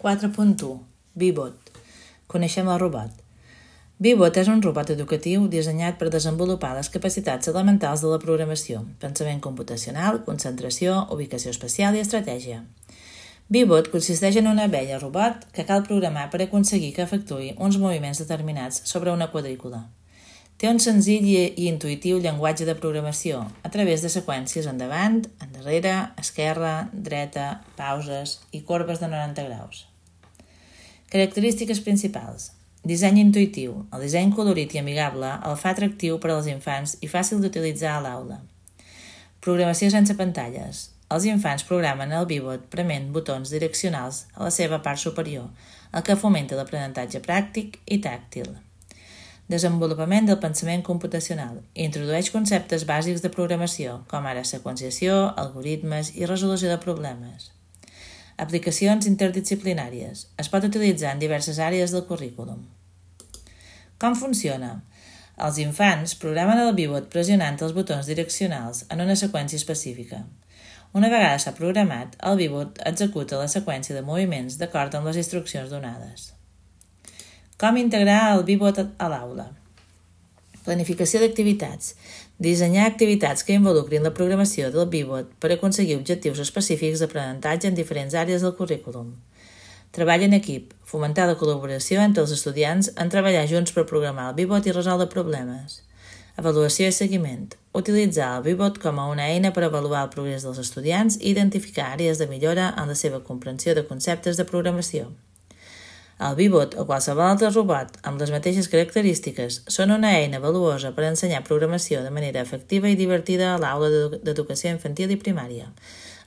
4.1 Bee-Bot. Coneixem el robot. Bee-Bot és un robot educatiu dissenyat per desenvolupar les capacitats elementals de la programació, pensament computacional, concentració, ubicació espacial i estratègia. Bee-Bot consisteix en una abella robot que cal programar per aconseguir que efectuï uns moviments determinats sobre una quadrícula. Té un senzill i intuïtiu llenguatge de programació a través de seqüències endavant, endarrere, esquerra, dreta, pauses i corbes de 90 graus. Característiques principals. Disseny intuïtiu. El disseny colorit i amigable el fa atractiu per als infants i fàcil d'utilitzar a l'aula. Programació sense pantalles. Els infants programen el Bee-Bot prement botons direccionals a la seva part superior, el que fomenta l'aprenentatge pràctic i tàctil. Desenvolupament del pensament computacional. Introdueix conceptes bàsics de programació, com ara seqüenciació, algoritmes i resolució de problemes. Aplicacions interdisciplinàries. Es pot utilitzar en diverses àrees del currículum. Com funciona? Els infants programen el Bee-Bot pressionant els botons direccionals en una seqüència específica. Una vegada s'ha programat, el Bee-Bot executa la seqüència de moviments d'acord amb les instruccions donades. Com integrar el Bee-Bot a l'aula? Planificació d'activitats. Dissenyar activitats que involucrin la programació del Bee-Bot per aconseguir objectius específics d'aprenentatge en diferents àrees del currículum. Treball en equip. Fomentar la col·laboració entre els estudiants en treballar junts per programar el Bee-Bot i resoldre problemes. Avaluació i seguiment. Utilitzar el Bee-Bot com a una eina per avaluar el progrés dels estudiants i identificar àrees de millora en la seva comprensió de conceptes de programació. El Bee-Bot o qualsevol altre robot amb les mateixes característiques són una eina valuosa per ensenyar programació de manera efectiva i divertida a l'aula d'educació infantil i primària.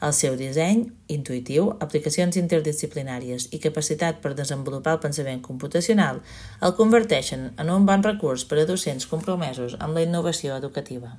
El seu disseny, intuïtiu, aplicacions interdisciplinàries i capacitat per desenvolupar el pensament computacional el converteixen en un bon recurs per a docents compromesos amb la innovació educativa.